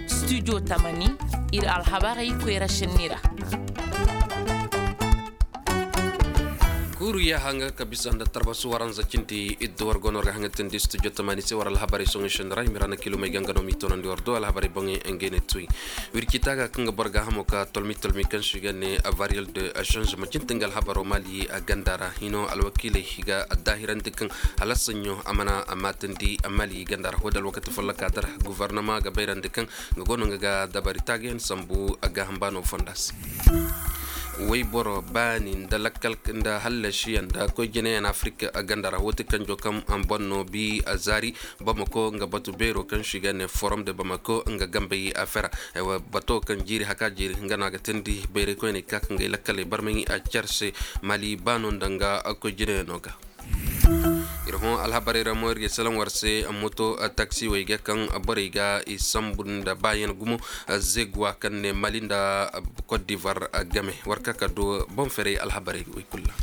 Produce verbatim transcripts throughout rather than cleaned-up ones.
Studio tamani, ir alhabarey koyra šenni ra. Kuuru yaaha nga ka bisa nda tarbasu waranza cindi iddu war go no war ga haŋatindi studio tamani se war alhabarey soŋey šenni ra i ma ra na kilomey ga nga no m'i toonandi war do alhabarey boŋey ngey ne tuy. Wirci taaga kaŋ ga boro gaahamo ka tolmi tolmi kaŋ se i ga ne variol de change ma cindi nga alhabaro maali ganda ra hino alwakiiley i ga addaahirandi kaŋ hala saɲɲo a mana maatandi maali ganda ra wo da alwakati folloka dara. Gofornama ga bayrandi kaŋ nga go no nga ga dabari taagayaŋ sambu gaaham baano fonda se. Wayboro baani nda lakkal nda hallasiyaŋ nda koy jinayaŋ afirik ganda ra wo ti kanjo kaŋ boŋ no bi zaari bamako nga batu beero kaŋ se i ga ne forom de bamako nga gambey afera. Bato kaŋ jiiri haka jiiri nga no a ga teendi bayray koyney ka ka ngay lakkaley barmay care se. Mali baano nda nga koy jinayaŋo ga. Ir hõ alhabarey ra mo ir ga ay salaŋ war se moto taksiwey ga kaŋ borey ga i sambu nda baayaŋ gumo. Zeguwa kaŋ ne mali nda kot divar game war ka ka du boŋ ferey alhabarey wey kulu ra.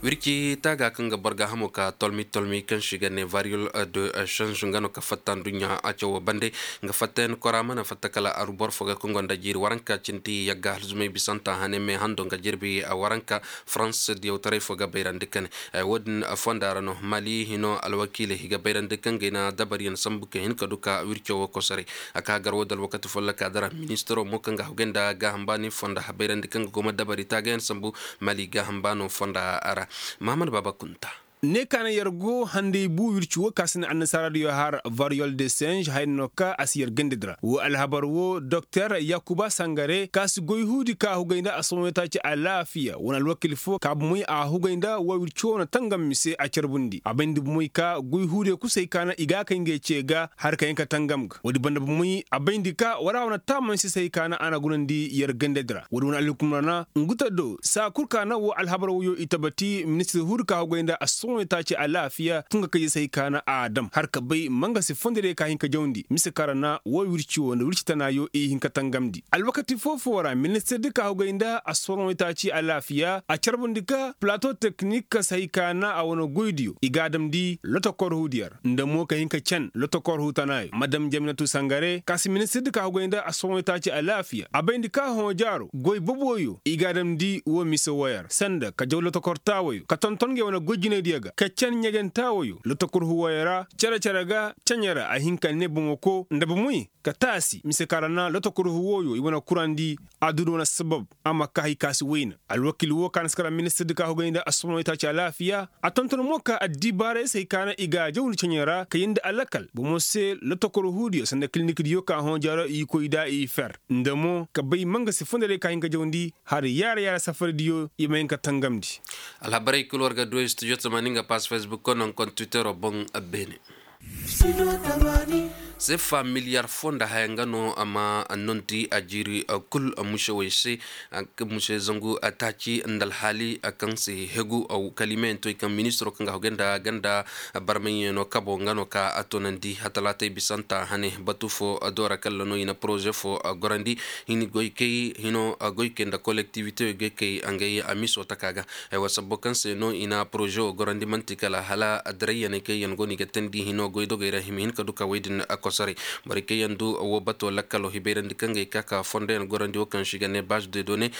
Wirci taaga kaŋ ga boro gaahamo ka tolmi tolmi kaŋ se i ga ne variyol de change nga no ka fatta nduɲɲa a cawo bande. Nga fattayaŋ kora mana fatta kala aru boro fo ga kaŋ gonda jiiri waranka cindi yagga halzumay bisanta hane me hando nga jirbi waranka. Farans diyawtaray fo ga bayrandi kane. Wo- din fonda ra no mali hino alwakiiley i ga bayrandi kaŋ ga i na dabariyaŋ sambu ka hin ka du ka wirco wo kosoray. A ka gar wo da alwakati folloka dara ministiro mo kaŋ ga hugay nda gaaham baani fonda bayrandi kaŋ ga go ma dabari taagayaŋ sambu. Mali gaaham baano fonda ra. Mahamad baaba kunta. Ne ka na yer go handay bu wirci wo ka si na annasaara diyo har variyol de singe hayna no ka a si yer gandadi ra wo alhabar wo doktor yakuba sangare ka si goy huudi ka hugay nda a sohõ taaci alaafiya wane alwakil fo ka bomey a hugay nda wo wirci wo na tangam mise a carbundi a bayndi bomey ka goy huudiyo kusay ka na i ga a kay ngey ce ga har ka hin ka tangam ga woodi banda bomey a bayndi ka wara wane taamansi say ka na a na gunandi yer gandadi ra woodi wane alhukumra na ngu ta do saa kul ka na wo alhabar woyo i tabati ministir huudi ka hugay nda a sohõ taaci alaafiya tunga kayzey se hay ka na a dam har ka bay mangasi fondorey ka hin ka jawndi mise kaŋ ra na wo wirci wo nda wirci tanaayo i hin ka tangamndi alwakati foo-foo ra ministir di ka hugay nda a sohõ taaci alaafiya a carbundi ka plato teknik se hay ka na a wane goydiyo i ga a damndi lotokor huudiyo ra nda mo ka hin ka can lotokor huutanaayo madam jaminatu sangare ka si ministir di ka hugay nda a sohõ taaci alaafiya a bayndi ka hõojaaro goy boboyo i ga a damndi wo mise woyo ra sanda ka jaw lotokor taawayo ka tonton ngey wane goy jinaydiyo ga ka can ɲegentaawayo lotokor huwayo ra cere-cere ga caɲe ra a hin ka ne bomoko nda bomey ka taasi mise kaŋ ra na lotokor huwayo i wane kurandi a duu nda wane sabab a ma ka hay ka si wayna alwakil wo ka na si kara ministir di ka hugay nda a sohõ taaci alaafiya a tonton mo ka addibaaray se hay ka na i ga a jawndi caɲe ra ka yindi alakal bomo se lotokor huudiyo sanda kilinikdiyo ka hõojaaro i koy nda i fer nda mo ka bay mangasi fondorey ka hin ka jawndi hari yaara-yaara safardiyo i ma hin ka tangamndi. Alhabarey kul war ga du studio tamaani nga pass facebook ko naŋ kon twittero boŋ beene. Sefa miliyar foo nda haya nga no a ma nonti a jiiri kul musewey se. Muse zangu taaci nda alhaali kaŋ se hegu kalimeyaŋ toy kaŋ ministiro kaŋ ga hogay nda ganda barmayyaŋo kabo nga no ka a toonandi hatalaatay bisanta hane batu foo doora kalla no i na poroze foo gorandi hini goykey hino goykey nda kolektiwite goykey ngey a miso taka ga. Haywa sabbo kaŋ se no i na poroze wo gorandi man'ti kala hala adirayyaney kaŋ yaŋ go no i ga teendi hino goydogey ra i ma hin ka du ka wey din kosoray. Borey kaŋ yaŋ du wo bato lakkalo hibayrandi kaŋ ga ay ka ka fondoyaŋ gorandi wo kaŋ se i ga ne baz de done.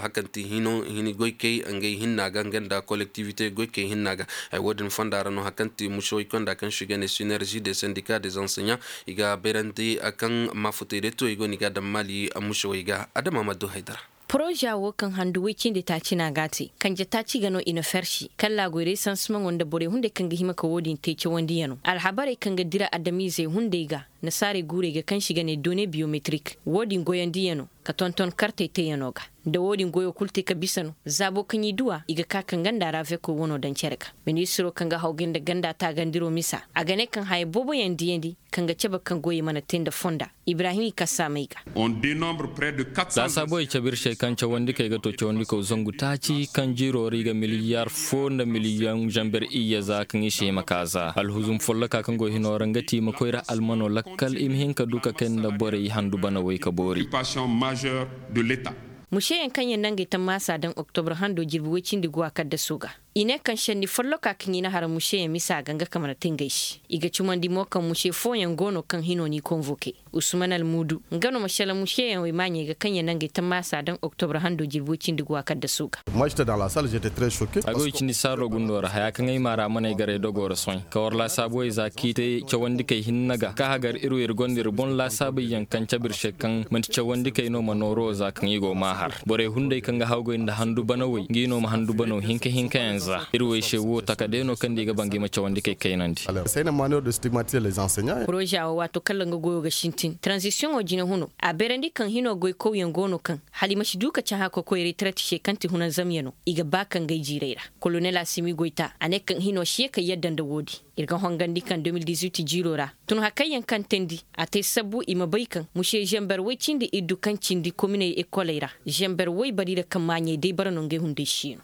Hakanti hino hini goykey ngey hinna ga nga nda kolektiwite goykey hinna ga. Wo- din fonda ra no hakanti musewey konda kaŋ se i ga ne sinerzi de sendika de zanseɲa i ga bayrandi kaŋ maafutey day to i go no i ga a daŋ maali musewey ga adama ma du haydara. Poroza wo kaŋ handu woy cindi taaci no a ga a te kanje taaci ga no i na fersi kallaa goyray sansimaŋo nda borey hunday kaŋ ga hima ka wo- din te cawandiyano alhabarey kaŋ ga dira adamiizey hunday ga nasaarey guurey ga kaŋ se i ga ne done biyometrik wo- din goyandiyano ka tonton kartey teyano ga. Nda wo- din goyo kul te ka bisa no zaabo kaŋ i du a i ga ka ka nga nda raveko wano daŋ cere ga. Ministiro kaŋ ga hawgay nda ganda taagandiro misa a ga ne kaŋ haya booboyaŋ diyandi kaŋ ga cabe kaŋ goyey mana te nda fonda. Ibrahim i kassaamey ga. Laasaabuwey cabe ir se kaŋ cawandikey ga to cawandikaw zangu taaci kaŋ jiiro ra i ga miliyaar foo nda miliyoŋ zamber iyye za kaŋ i se i ma ka za alhuzum folloka kaŋ go hino ra nga ti i ma koy ra almano lakkal i ma hin ka du ka kay nda borey handu banawey ka boori. Museyaŋ kaŋ yaŋ na ngey tammaasa daŋ oktobre hando jirbi woy cindi guwa kaddaso ga. I ne kaŋ šenni folloka kaŋ i na har mušeyaŋ misa ga nga ka mana te ngey se. I ga cumandi mo kaŋ muše fooyaŋ go no kaŋ hino n'i konvoke. Usman almudu nga no ma šelaŋ mušeyaŋ wey maaɲey ga kaŋ ya nangey tammaasa daŋ oktobre hando jirbi woy cindi go a kaddaso ga. A go i cindi saaro gundo ra haya kaŋ ay maara mana ay garay dogo ra sohõ ka war laasaabu wey za k'i te cawandikey hinne ga ka hagar ir wo ir gonda ir boŋ laasaabey yaŋ kaŋ cabe ir se kaŋ man'ti cawandikey no ma nooro za kaŋ i go ma a har. Borey hunday kaŋ ga hawgay nda handu bana wey ngi no ma handu bano hinka hinka yaŋ za ir wey se wo taka day no kaŋ nda i ga ba ngi ma cawandikey kaynandi. Poroza wo waato kala nga goyo ga sintin taranzisiyoŋo jinahuno a bayrandi kaŋ hino goykawyaŋ go no kaŋ hala i ma si du ka cahã ka koy retraite se kaŋ ti hunanzamyano i ga ba ka ngey jiiray ra. Kolonel asimi goyta a ne kaŋ hino si ye ka yadda nda woodin. Ir ga hongandi kaŋ de mil dix-huit jiiro ra tun hakayyaŋ kaŋ teendi a te sabbu i ma bay kaŋ muse zamber woy cindi iddu kaŋ cindi kominey ekoley ra zamber woy bari ra kaŋ maaɲey day bara no ngey hunday siino.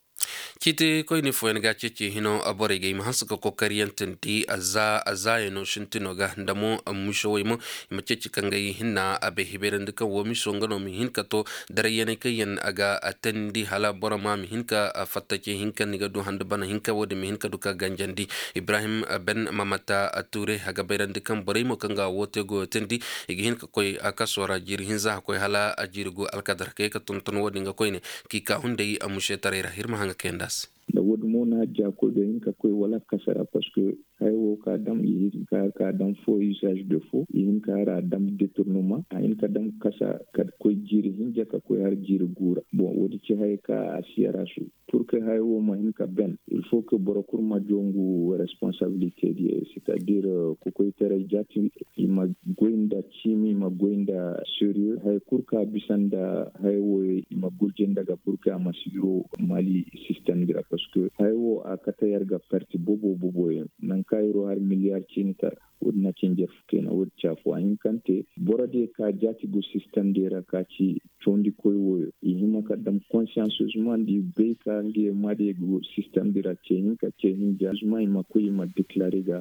Ciiti koyne fooyaŋ ga ceeci hino borey ga i ma hanse ka kokariyantandi a za a zaayano sintino ga nda mo. Miso wey mo i ma ceeci ka ngey hinna a bay hibayrandi kaŋ wo miso nga no ma hin ka to darayyaney kaŋ yaŋ a ga a teendi hala boro ma ma hin ka fattaci hinka ni ga du handa bana hinka wo- din ma hin ka du ka ganjandi. Ibrahim ben mamata ture a ga bayrandi kaŋ borey mo kaŋ ga wo te goyo teendi i ga hin ka koy a kaso ra jiiri hinza a koy hala a jiiri gu alkadar ka ye ka tonton wo- din ga koyne k'i ka hunday a mušetaray ra ir ma haŋ ga kayandi a se. Nda wo- din mo na jaakoy do hin ka koy wala kasa ra parceque haya wo ka dam i hin ka har ka dam fo usage de fo i hin ka har a dam deturnement a hin ka dam kasa ka koy jiiri hinja ka koy har jiiri gu ra bon wo- din ci haya ka a si yara su. Pur ke haya wo ma hin ka ben il fo ke boro kul ma jongu responsabilite diya c'est à dire kokoytaray jaati i ma goy nda ciimi i ma goy nda sérieux haya kul ka bisa nda haya wo i ma gurje nda ga pur ke a ma si yiro mali sistem di ra parceque haya wo a kate yar ga parti bobo bobo yaŋ nangu ka yiro har miliyar ciini tara. Wo- din na ci njarfu kayna wo- din ci afo a hin kaŋ te boro diya ka jaati go sistem diya ra ka ci cawandi koy wooyo i hima ka dam konsiyansuzuma nda i bay ka nga yaŋ ma diya go sistem di ra ce hinka ce hinja zuma i ma koy i ma deklare ga.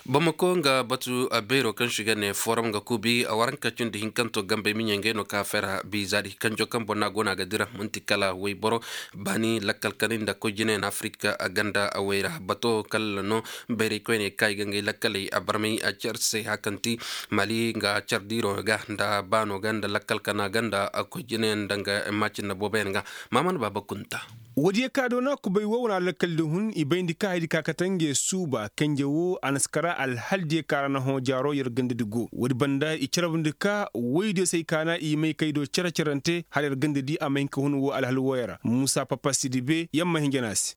Bamako nga batu beero kaŋ si ga ne forum ga kuubi a waranka cindi hinkanto gambey miɲey ngey no ka fera biiza di kanjo kaŋ boŋ no a go no a ga dira manti kala wayboro baani lakkal kanay nda koy jinayaŋ afirika ganda way ra bato kala no. Bayray koyney ka i ga ngey lakkaley a barmay a care se hakanti mali nga care diiro ga nda baano ga nda lakkal kana ga nda koy jinayaŋ nda nga maacinna booboyaŋ ga. Maamana baaba kunta. Woodiyo ka doona kubay wo wane alakal di hun i bayndi ka haydi ka kate ngey suuba kanje wo a na si kara alhaldiyo ka ra na hõ jaaro yer ganda di go woodi banda i carabndi ka woydiyo se ay kaana i may kay do cere cerante hala yer ganda di a ma hin ka hun wo alhal wooyo ra muusa papa sidibe yer ma hin jana se.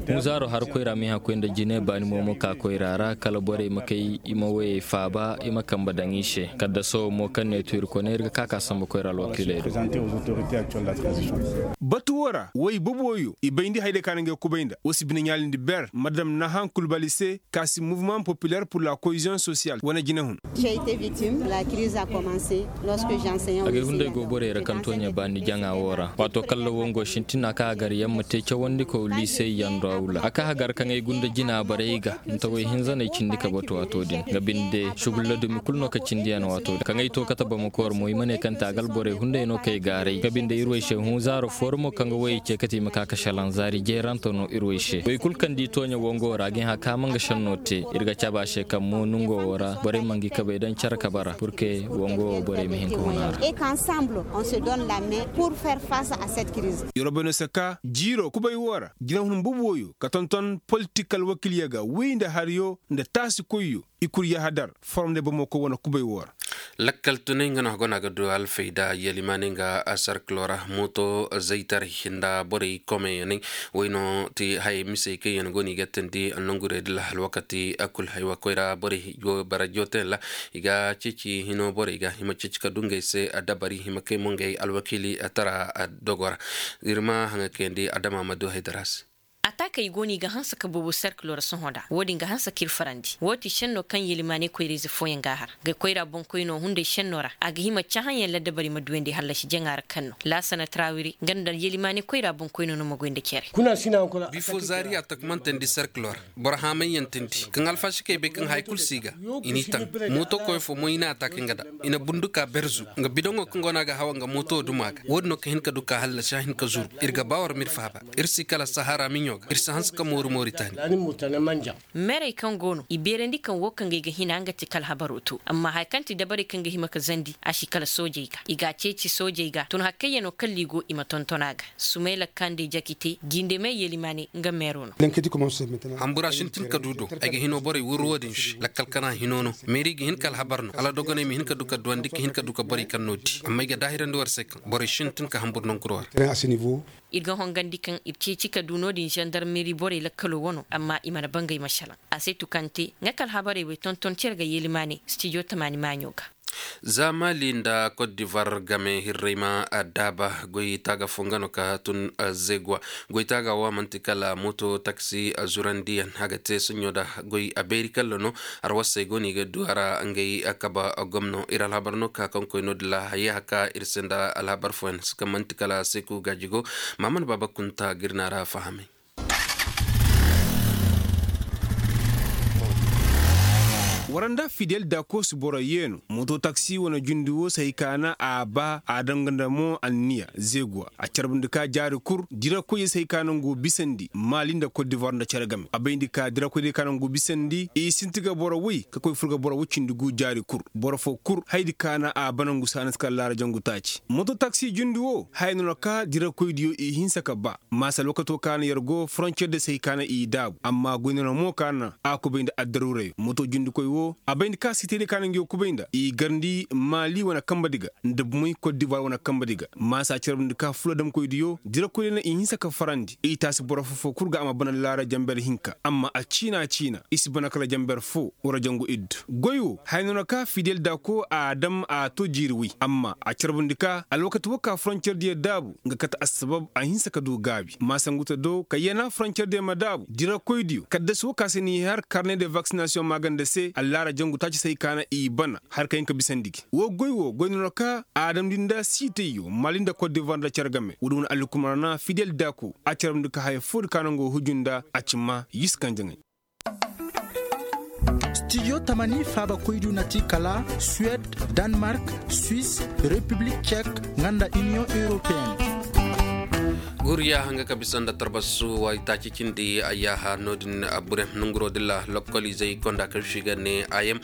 Hunzaaro har koyra ma i haŋ koy nda jine baani mo ma ka koyra ra kala borey ma kay i ma woyey faaba i ma kambe daŋ i se kaddaso mo kaŋ ne tu ir koy ne ir ga ka ka sambu koyra alwakiiley do. Batu wo ra woy boboyo i bayndi hayday ka na ngey kubay nda wo si bine ɲaalindi ber madam nahan kulbali se ka si mouvement populaire pour la cohésion sociale wane jinehun. Agay hunday go borey ra kaŋ tooɲe baani jaŋa wo ra waato kalla wongo sintina kaŋ a gar yaŋ ma te cawandi kow liisey yaŋ do awla a kaŋ a gar kaŋ ay gunda jina barey ga nta way hinzaney cindi ka batu waato din nga binde sugulla dumi kulu no ka cindi yaŋ waato din kaŋ ay to kate bamako war mo i ma ne kaŋ te a ga alborey hunday no kaŋ ay gaaray nga binde ir way se hunzaaro fooro mo kaŋ ga wayey ce kate i ma ka ka šelaŋ zaari jeerante no ir way se way kulu kaŋ di tooɲe wongo ra ga ay hã kaama nga šenno te ir ga cabe a se kaŋ mo nongo wo ra borey ma ngi kabey daŋ care kabe ra purke wongo wo borey ma hin ka hun a ra. Yerobeno saka jiiro kubay wo ra jinahun bubu woyo ka tonton politik alwakilyo ga wi nda haryo nda taasi koyyo i kul yahadar forom nda bamako wane kubay wo ra. Lakkal tunay nga no a go no a ga du alfayda yalimaanay nga sarkilo ra mooto zaytaray nda borey komeyanay. Way no ti hayey misey kaŋ yaŋ go no i ga teendi nongurey dila alwakati kul haywa koyra borey go bara jooteyaŋ ra i ga ceeci hino borey ga i ma ceeci ka du ngey se dabari i ma kay mo ngey alwakiili tara dogo ra. Ir ma haŋa kayandi adama ma du haydara se. Atak kaŋ i go no i ga hanse ka boobo serkilo ra sohõ nda wo- din ga hanse k'ir farandi wo ti šenno kaŋ yelimaaney koyrayze fooyaŋ ga a har ga koyra boŋkoyno hunday šenno ra a ga hima cahãyaŋ laddabari ma duyandi hallasi jaŋa ra kaŋ no laasana tarawiri nga nda yelimaaney koyra boŋkoyno no ma goy nda cere. Bifo zaari a takmantandi serkilo ra boro haamayyaŋ tindi kaŋ alfasikey bay kaŋ haya kul si ga i n'i taŋ. Mooto koy fo mo i n'a taaka nga da i na bundu ka berzu nga bidoŋo kaŋ go no a ga hawa nga mooto duma ga wo- din no ka hin ka du ka hallasi a hin ka zuru. Ir ga ba war m'ir faaba. Ir si kala sahara miɲo ga ir si hanse ka mooru moritani. Merey kaŋ go no i beerandi kaŋ wo kaŋ ga ay ga hina nga ti kala habaro to amma haya kaŋ ti dabarey kaŋ ga hima ka zandi a si kala soojey ga i g'a ceeci soojey ga tun hakkayyanoo kalla i go i ma tonton a ga. Sumayla kande jakite jinde me yelimaane nga meero no. Hambura sintin ka du do ay ga hinoo borey wurru wo-din se lakkal kana hinoo no. Meeri ga hin ka alhabar no hala dogoney ma hin ka du ka duwandi ka hin ka du ka borey kaŋ no di amma ay ga daahirandi war se kaŋ borey sintin ka hambur nonkuroo ra. Ir ga hongandi kaŋ ir ceeci ka du no-din zandarmeri borey lakkaloo wano amma i mana bangay ma salaŋ. A se tukante nga ka alhabarey wey tonton cere ga yeelimaane stijo tamaani maaɲo ga. Za mali nda kot divar game hirrey ma daaba goy taaga fo nga no ka tun. Zeguwa goy taaga wo a manti kala mooto taksi zurandiyaŋ a ga te soɲo nda goy a beeri kalla no. Arwasey go no i ga du a ra ngey kaba gomno ir alhabar no ka kaŋ koy no-din ra hayey haka ir se nda alhabar fooyaŋ si kaŋ manti kala seku gaaji go. Maaman baaba kunta ga ir na a ra fahamay. War nda fidel dakoos boro yee no mooto taksi wane jundi wo si hay ka na a ba a danga nda mo anniya zeeguwa a carbundi ka jaari kul dirakoyey si hay ka na ngu bisandi maali nda kot divoir nda cere game a bayndi ka dirakoyey ka na ngu bisandi i sinti ga boro woy ka koy fur ga boro woy cindi gu jaari kul boro foo kul haydi ka na a bana ngu saana si kala laara jangu taaci mooto taksi jundi wo haya no na ka dirakoydiyo i hinsa ka ba maasa alwakato ka na yer go foroncer de se hay ka na i daabu amma goy no na mo ka na a kubay nda addaruurayo mooto jundikoy wo a bay nda ka sitedi ka na ngi wo kubay nda i garndi maali wane kambadi ga nda bumay kot divoir wane kambadi ga maasa carabndi ka fula damkoydiyo dirakoydiyo na i hinsa ka farandi i taasi boro foo foo kul ga a ma bana laara jamber hinka amma a ciina ciina i si bana kala jamber foo wara jangu iddu goy wo haya no na ka fidel dako a dam a to jiiri woy amma a carbundi ka alwakati wo ka foroncer diyo daabu nga kate assabab a hinsa ka du gaabi maasanguta do ka yana foroncer diyo ma daabu dirakoydiyo kaddasi wo ka se n'i har karne de vaksinasiyoŋ maaganda se allaara jangu taaci se hay ka na i bana har ka hin ka bisandi gi wo goy wo goy no na ka a damndi nda siitayyo maali nda kot divoir nda care game wo- din wane allukumar na fidel dako a carbundi ka haya foodi ka na nga wo huju nda a ci maa yisi kaŋ jaŋay. Stijo tamani faabakoydiyo na ti kala suwed, danmark, swis, repiblik cek, nga nda iniyoŋ europeen. Guriya hanga ka bisa nda tarbasu waytaaci cindi ayyaha no- din. Bure nonguroo dilla lokkolizey konda kaŋ si ga ne ayem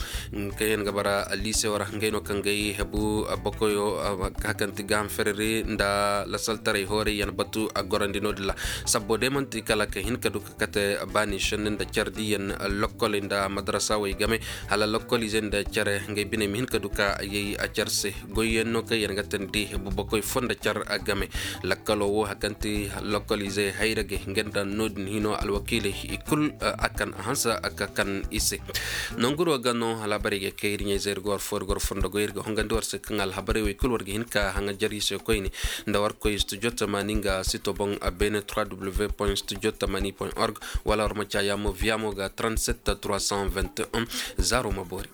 kaŋ yaŋ ga bara liise wara ngey no kaŋ gay hebu bokoyo ka kaŋ ti gaaham fereri nda lasaltaray hoorey yaŋ batu a gorandi no- din ra. Sabbo day manti kala ka hin ka du ka kate baani šenni nda care diyaŋ lokkoley nda madarasawey game hala lokkolizey nda care ngey biney ma hin ka du ka yay care se. Goyyaŋ no kaŋ yaŋ ga tandi bubakoy fo nda care game lakkalo wo hari kaŋ ti lokkolizey hayragey nga nda no-din hino alwakiiley i kul a kan a hanse ka kan i se. Nonguro ga no alhabarey ga kay ir ɲayzey ir ga war fo ir ga war fondogoy ir ga hongandi war se kaŋ alhabarey wey kul war ga hin ka haŋajer i se koyne nda war koy studio tamani nga sito boŋ a beene trois w point studio tamani point org wala war ma caya mo via mo ga trente sept trois cent vingt et un. Zaaro ma boori.